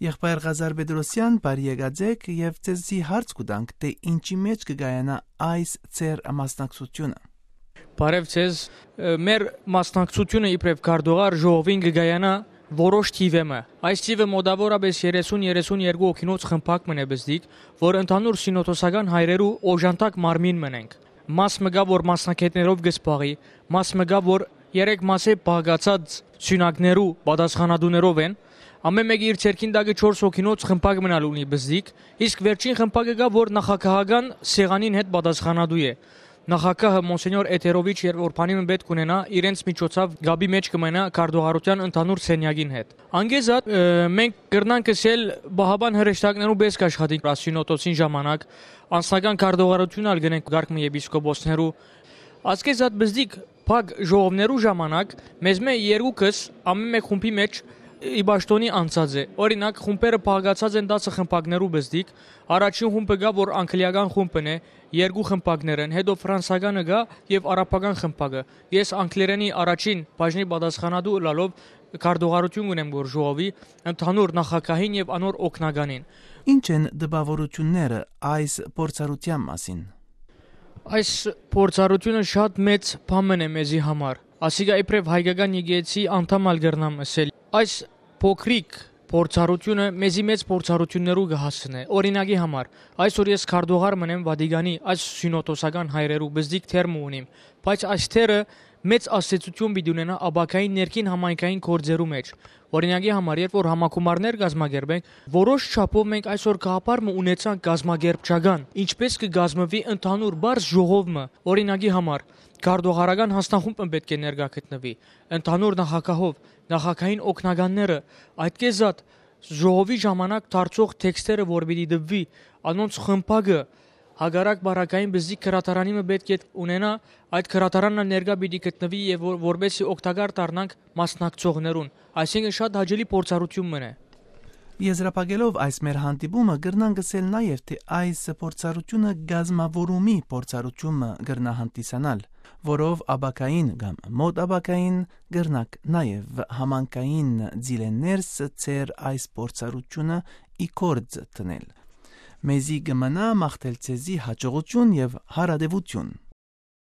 Եղբայր Ղազար Բեդրոսյան, բարի եկածեք եւ ձեզի հարց կտանք, թե ինչի մեջ կգայանա այս ծեր մասնակցությունը։ Բարև ձեզ, մեր մասնակցությունը իբրև կարդողար ժողովին կգայանա որոշ թիվը։ Այս թիվը մոտավորապես 30-32 հոգինոց խմբակ մնե բզդիկ, որ ընդհանուր սինոդոսական հայրերու օժանդակ մարմին մնենք։ Մաս մգա, որ մասնակետներով գսպաղի, մաս մգա, որ 3 մասե բաղկացած սյունակներու պատասխանատուներով են։ Ամեն մեկի իր ցերքին դակը 4 հոգինոց խմբակ մնալ ունի բզդիկ, իսկ վերջին խմբակը գա, որ նախագահական սեղանին հետ պատասխանատու է։ Նախագահը Մոնսենյոր Էթերովիչ երբ որ բանիմը պետք ունենա, իրենց միջոցով գաբի մեջ կմնա քարտուղարության ընդհանուր սենյակին հետ։ Անգեզատ մենք կրնանք ասել բահաբան հրեշտակներու բես կաշխատի սինոդոսին ժամանակ, անձնական քարտուղարություն ալ գնենք գարկմի եպիսկոպոսներու։ Ասկեզատ բզդիկ փակ ժողովներու ժամանակ մեզ մե երկուքս ամեն մեկ խումբի մեջ իբաշտոնի անցած է։ Օրինակ խումբերը փակացած են 10 խմբակներու բզդիկ, առաջին խումբը գա, որ անգլիական խումբն է, 2 խմբակներ են, հետո ֆրանսականը գա եւ արաբական խմբակը։ Ես անգլերենի առաջին բաժնի պատասխանատու լալով քարտուղարություն ունեմ որ ժողովի ընդհանուր նախագահին եւ անոր օկնականին։ Ինչ են դպավորությունները այս փորձառության մասին։ Այս փորձառությունը շատ մեծ բան է մեզի համար։ Ասիկա իբրև հայկական եկեղեցի անդամ ալգերնամ ասել։ Այս փոքրիկ փորձառությունը մեզի մեծ փորձառություններու կհասնե։ Օրինակի համար, այսօր ես քարտուղար մնեմ Վատիկանի այս սինոդոսական հայրերու բզդիկ թերմ ունիմ, բայց այս թերը մեծ աստեցություն պիտի ունենա աբակային ներքին համայնքային գործերու մեջ։ Օրինակի համար, երբ որ համակումարներ կազմակերպենք, որոշ չափով մենք այսօր գաղափարը ունեցանք կազմակերպչական, ինչպես կգազմվի ընդհանուր բարձ ժողովը։ Օրինակի համար, քարտուղարական հաստախումբը պետք է ներկա գտնվի, ընդհանուր նախագահով, նախագահային օկնականները, այդքեզատ ժողովի ժամանակ դարձող տեքստերը որ պիտի դվի, անոնց խմբակը հագարակ բարակային բզիկ քրատարանիմը պետք է ունենա, այդ քրատարանն ներկա պիտի գտնվի եւ որբեսի օգտակար դառնանք մասնակցողներուն, այսինքն շատ հաճելի փորձառություն մնա։ Եզրափակելով այս մեր հանդիպումը գրնան գսել նաև թե այս փորձառությունը գազմավորումի փորձառությունը գրնա հանդիսանալ, որով աբակային կամ մոտ աբակային գրնակ նաև համանքային ձիլեներս ծեր այս փորձառությունը իքորձ տնել։ Մեզի գմնա մաղթել ցեզի հաջողություն եւ հարադեվություն։